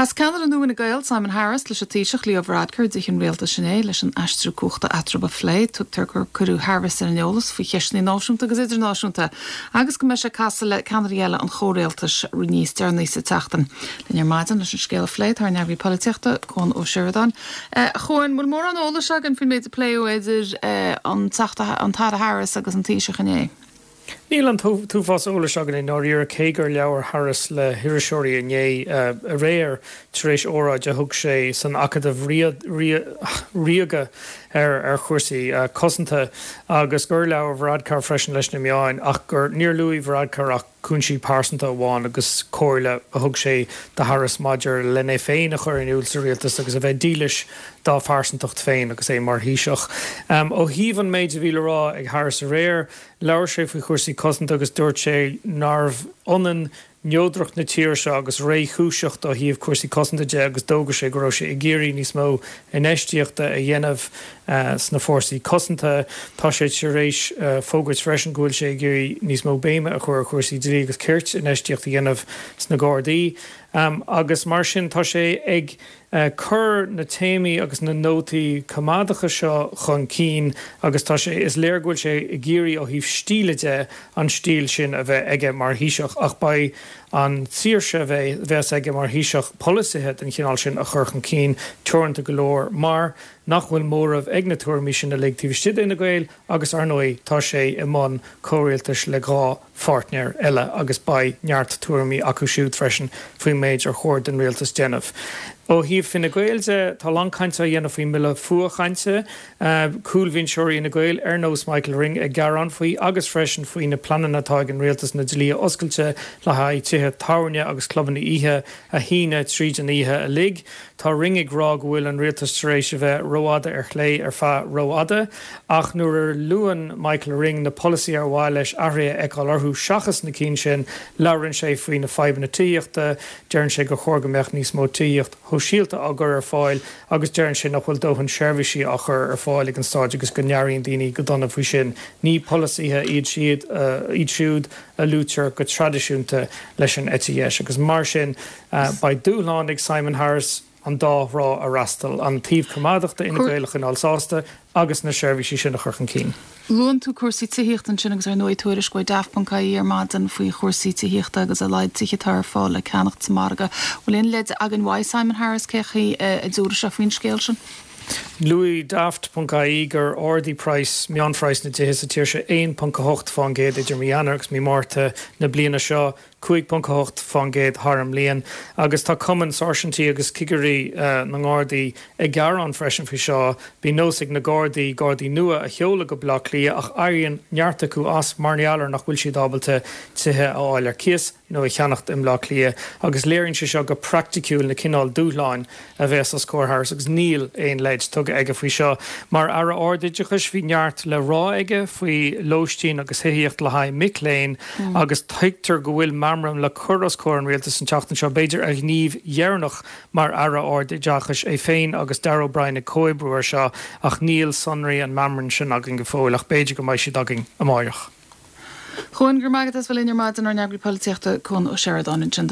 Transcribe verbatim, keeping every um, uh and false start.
Chas ceannaire nua Fhine Gael Simon Harris leis an Taoiseach Leo Varadkar i dTigh an Rialtais inné leis an aistriú cumhachta eatarthu a phlé, tugtar gur cuireadh Harris ar an eolas faoi cheisteanna náisiúnta agus idirnáisiúnta agus go mbeidh sé ag casadh le ceannairí eile an chomhrialtais níos deireanaí sa tseachtain. Linn ar maidin leis an scéal a phlé tá ár n-eagraí polaitíochta Cuan Ó Seireadáin. Chuan bhfuil mórán eolais againn faoin méid a pléadh idir an an tAire Harris agus an Taoiseach inné. Níl an t-uafás eolais againn i ndáiríre cé gur labhair Harris le hiriseoirí inné aréir tar éis óráid a thug sé san Acadamh Ríoga ar ar chúrsaí cosanta agus gur labhair Varadkar freisin leis na meáin ach gur níor luaigh Varadkar ach cúinsí pearsanta amháin agus comhairle a thug sé do Harris maidir lena féin a chur in iúl sa rialtas agus a bheith dílis dá phearsantacht féin agus é mar Thaoiseach. Um, ó thaobh an méid a bhí le rá ag Harris aréir, labhair sé faoi chúrsaí cosanta agus dúirt sé nárbh ionann neodracht na tíre seo agus réchúiseacht ó thaobh cúrsaí cosanta de agus d'fhógair sé go raibh sé ag iarraidh níos mó infheistíochta a dhéanamh uh, sna fórsaí cosanta. Tá sé tar éis uh, fógairt freisin go bhfuil sé ag iarraidh níos mó béime a chur ar chúrsaí dlí agus cirt infheistíocht a dhéanamh sna Gardaí. Um, agus mar sin tá sé ag uh, cur na téamaí agus na nótaí coimeádacha seo chun cinn agus tá sé is léir go bhfuil sé ag iarraidh ó thaobh stíle de an stíl sin a bheith aige mar Thaoiseach ach beidh an tsaoirse bheith bheas aige mar Thaoiseach polasaithe den chineál sin a chur chun cinn teoranta go leor mar nach bhfuil móramh ag na tuairimí sin uilig taobh istigh d'Fhine Gael agus ar ndóigh tá sé i mbun comhrialtais le dhá pháirtnéir eile agus beidh neart tuairimí acu siúd freisin faoin méid ar chóir den rialtas déanamh. Ó thaobh Fine Gael de tá an-chaint á dhéanamh faoin mbille fuathchainte, cúlbhinseoirí Fhine Gael ar nós Michael Ring ag gearán faoi agus freisin faoi na pleananna atá ag an rialtas na dlíthe oscailte le haghaidh tithe tábhairne agus clubanna oíche a shíneadh tríd an oíche uilig. Tá Ring ag rá go bhfuil an rialtas tar éis a bheith rófhada ar chlé ar feadh rófhada, ach nuair a luann Michael Ring na polasaithe ar mhaith leis athruithe a fheiceáil orthu seachas na cinn sin, labhrann sé faoi na fadhbanna tithíochta, deireann sé gur chóir go mbeadh níos mó tithíocht shóisialta á gcur ar fáil agus deireann sé nach bhfuil dóthain seirbhísí á chur ar fáil ag an stát agus go n-airíonn daoine go dona faoi sin. Ní polasaithe iad siad uh, iad siúd a luaitear go traidisiúnta leis an eite dheis agus mar sin uh, beidh dúshlán ag Simon Harris an dá thrá a fhreastal an taobh coimeádach d'Fhine Gael a choinneáil sásta agus na seirbhísí sin a chur chun cinn. Luann tú cúrsaí tithíochta ansin agus ar ndóigh tuairisc ó Daft.ie ar maidin faoi chúrsaí tithíochta agus a laghad tithe atá ar fáil le ceannacht sa margadh. Bhfuil aon leid againn uaidh Simon Harris cé a dúirt sé faoin scéal sin? Luaigh Daft.ie gur ardaigh praghas meánphraghas na dtithe sa tír seo aon ponc a hocht faoin gcéad idir mí Eanáir agus mí Márta na bliana seo cúig ponc a hocht faoin gcéad thar an mbliain agus tá cumann sáirsintí agus cigirí uh, na nGardaí ag gearán freisin faoi seo bíonn nós ag na Gardaí Gardaí nua a sheoladh go Baile Átha Cliath ach éiríonn neart acu as mar gheall ar nach bhfuil siad ábalta tithe a fháil ar cíos nó a cheannacht i mBaile Átha Cliath agus léiríonn sé seo go praiticiúil na cineál dúshláin a bheas os comhair Harris agus níl aon leid tugtha aige faoi seo. Mar aire ardoideachais bhí neart le rá aige faoi lóistín agus tithíocht le haghaidh mic léinn mm. agus tuigtear go bhfuil meamram le cur os comhair an rialtais an tseachtain seo b'fhéidir a ghníomh dheireanach mar aire ardoideachais é féin agus Darragh O'Brien ag comhoibriú air seo ach níl sonraí an mheamraim sin againn go fóill ach b'fhéidir go mbeidh siad againn amárach. Chuan gur magadh as bhfuil ar maidin ár n-eagraí polaitíochta Cuan Ó Seireadáin ansin.